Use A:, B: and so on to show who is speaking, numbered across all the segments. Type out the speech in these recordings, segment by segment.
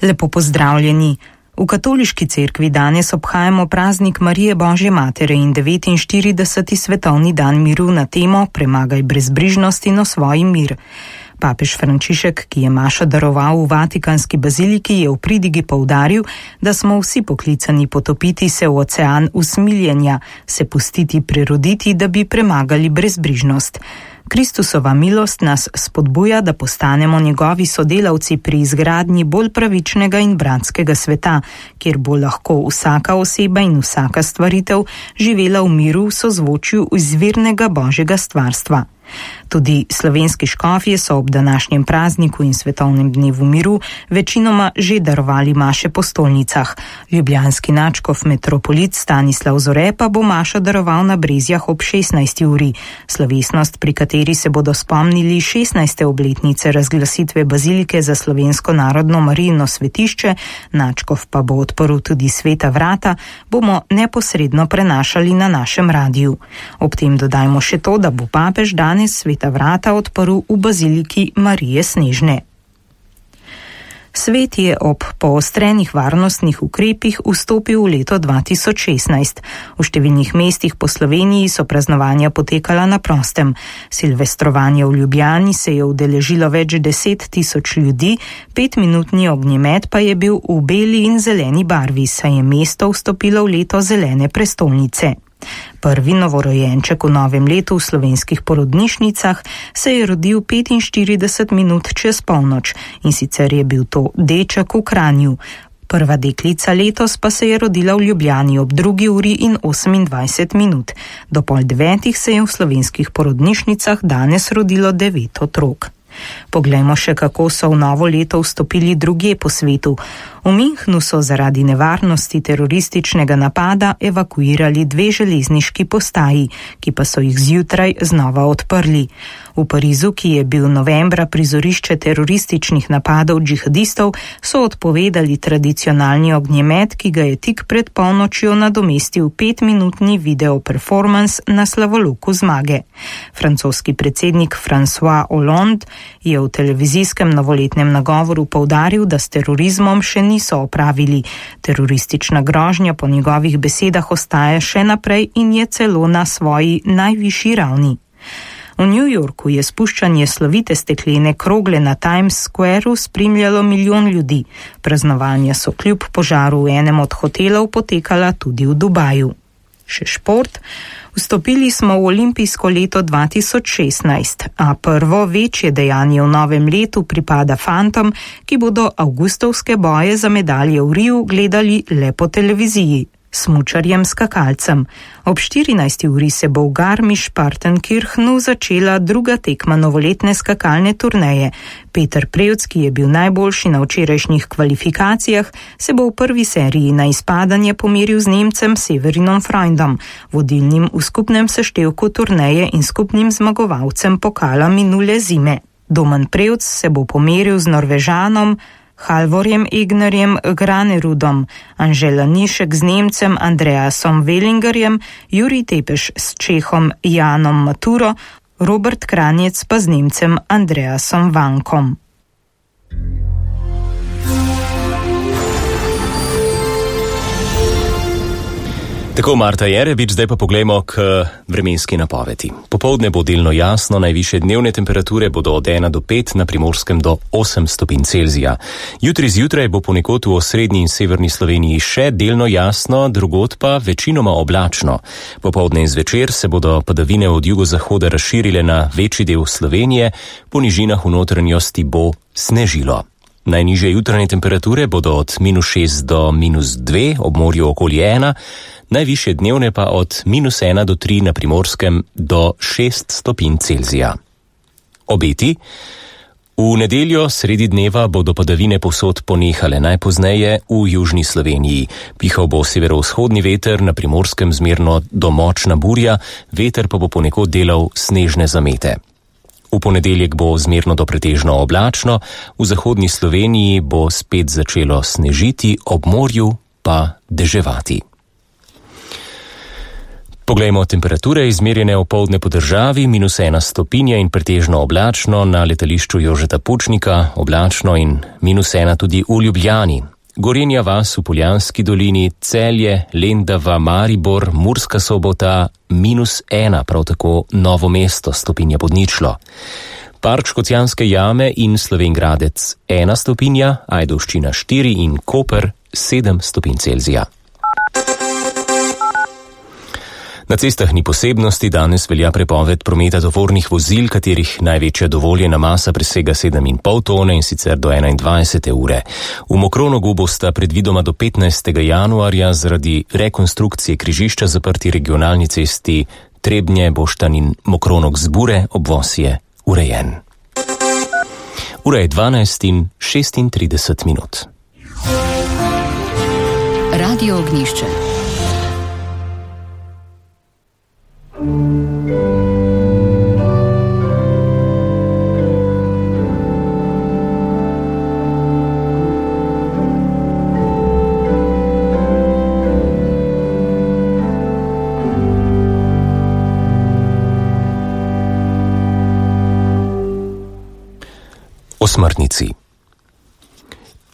A: Lepo pozdravljeni. V katoliški cerkvi danes obhajamo praznik Marije Božje Matere in 49. svetovni dan miru na temo Premagaj brezbrižnost in osvoji mir. Papež Frančišek, ki je mašo daroval v Vatikanski baziliki, je v pridigi poudaril, da smo vsi poklicani potopiti se v ocean usmiljenja, se pustiti preroditi, da bi premagali brezbrižnost. Kristusova milost nas spodbuja, da postanemo njegovi sodelavci pri izgradnji bolj pravičnega in bratskega sveta, kjer bo lahko vsaka oseba in vsaka stvaritev živela v miru v sozvočju izvirnega Božjega stvarstva. Tudi slovenski škofje so ob današnjem prazniku in svetovnem dnevu miru večinoma že darovali maše po stolnicah. Ljubljanski nadškof metropolit Stanislav Zore pa bo mašo daroval na Brezjah ob 16. uri. Slovesnost, pri kateri se bodo spomnili 16. obletnice razglasitve bazilike za slovensko narodno Marijino svetišče, nadškof pa bo odprl tudi sveta vrata, bomo neposredno prenašali na našem radiju. Ob tem dodajmo še to, da bo papež danes sveta vrata odprl v baziliki Marije Snežne. Svet je ob poostrenih varnostnih ukrepih vstopil v leto 2016. V številnih mestih po Sloveniji so praznovanja potekala na prostem. Silvestrovanje v Ljubljani se je udeležilo več 10 000 ljudi, 5-minutni ognjemet pa je bil v beli in zeleni barvi, saj je mesto vstopilo v leto zelene prestolnice. Prvi novorojenček v novem letu v slovenskih porodnišnicah se je rodil 45 minut čez polnoč, in sicer je bil to deček v Kranju. Prva deklica letos pa se je rodila v Ljubljani ob 2 uri in 28 minut. Do 8:30 se je v slovenskih porodnišnicah danes rodilo 9 otrok. Poglejmo še, kako so v novo leto vstopili drugje po svetu. V Münchnu so zaradi nevarnosti terorističnega napada evakuirali 2 železniški postaji, ki pa so jih zjutraj znova odprli. V Parizu, ki je bil novembra prizorišče terorističnih napadov džihadistov, so odpovedali tradicionalni ognjemet, ki ga je tik pred polnočjo nadomestil 5-minutni video performance na slavoloku zmage. Francoski predsednik François Hollande je v televizijskem novoletnem nagovoru poudaril, da s terorizmom še niso opravili. Teroristična grožnja po njegovih besedah ostaja še naprej in je celo na svoji najvišji ravni. V New Yorku je spuščanje slovite steklene krogle na Times Squareu spremljalo milijon ljudi. Praznovanja so kljub požaru v enem od hotelov potekala tudi v Dubaju. Še šport. Vstopili smo v olimpijsko leto 2016, a prvo večje dejanje v novem letu pripada fantom, ki bodo avgustovske boje za medalje v Riu gledali le po televiziji. Smučarjem skakalcem. Ob 14. uri se bo v Garmisch-Partenkirchenu začela druga tekma novoletne skakalne turneje. Peter Prevc, ki je bil najboljši na včerajšnjih kvalifikacijah, se bo v prvi seriji na izpadanje pomeril z Nemcem Severinom Freundom, vodilnim v skupnem seštevku turneje in skupnim zmagovalcem pokala minule zime. Domen Prevc se bo pomeril z Norvežanom Halvorjem Egnerjem Granerudom, Anžela Nišek z Nemcem Andreasom Wellingerjem, Jurij Tepeš s Čehom Janom Maturo, Robert Kranjec pa z Nemcem Andreasom Vankom.
B: Tako, Marta Jerebič, zdaj pa poglejmo k vremenski napovedi. Popoldne bo delno jasno, najvišje dnevne temperature bodo od 1 do 5, na Primorskem do 8 stopinj Celzija. Jutri zjutraj bo ponekod v osrednji in severni Sloveniji še delno jasno, drugod pa večinoma oblačno. Popoldne in zvečer se bodo padavine od jugozahoda razširile na večji del Slovenije, po nižinah v notranjosti bo snežilo. Najnižje jutranje temperature bodo od -6 do -2, ob morju okoli 1, najvišje dnevne pa od -1 do 3, na Primorskem do 6 stopinj Celzija. Obeti. V nedeljo sredi dneva bodo padavine povsod ponehale, najpozneje v južni Sloveniji. Pihal bo severovzhodni veter, na Primorskem zmerno do močna burja, veter pa bo ponekod delal snežne zamete. V ponedeljek bo zmerno do pretežno oblačno, v zahodni Sloveniji bo spet začelo snežiti, ob morju pa deževati. Poglejmo temperature izmerjene opoldne po državi, -1 stopinja in pretežno oblačno na letališču Jožeta Pučnika, oblačno in -1 tudi v Ljubljani. Gorenja vas v Poljanski dolini, Celje, Lendava, Maribor, Murska Sobota, -1, prav tako Novo mesto, stopinja pod ničlo. Park Škocjanske jame in Slovenj Gradec 1 stopinja, Ajdovščina 4 in Koper 7 stopinj Celzija. Na cestah ni posebnosti, danes velja prepoved prometa tovornih vozil, katerih največja dovoljena masa presega 7,5 tone in sicer do 21. ure. V Mokronogu bosta predvidoma do 15. januarja zaradi rekonstrukcije križišča zaprti regionalni cesti Trebnje, Boštanj in Mokronog Zbure, obvoz je urejen. Ura je 12:36.
C: Radio Ognjišče.
B: O smrtnici.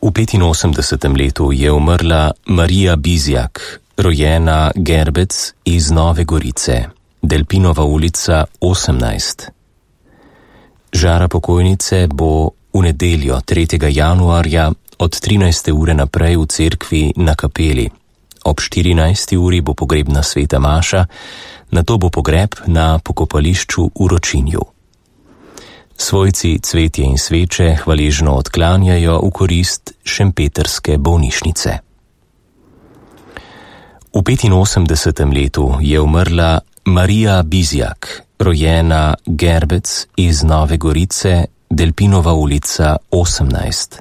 B: V 85. letu je umrla Marija Bizjak, rojena Gerbec iz Nove Gorice, Delpinova ulica 18. Žara pokojnice bo v nedeljo 3. januarja od 13. ure naprej v cerkvi na kapeli. Ob 14. uri bo pogrebna sveta maša, nato bo pogreb na pokopališču v Ročinju. Svojci cvetje in sveče hvaležno odklanjajo v korist šempetrske bolnišnice. V 85. letu je umrla Marija Bizjak, rojena Gerbec iz Nove Gorice, Delpinova ulica 18.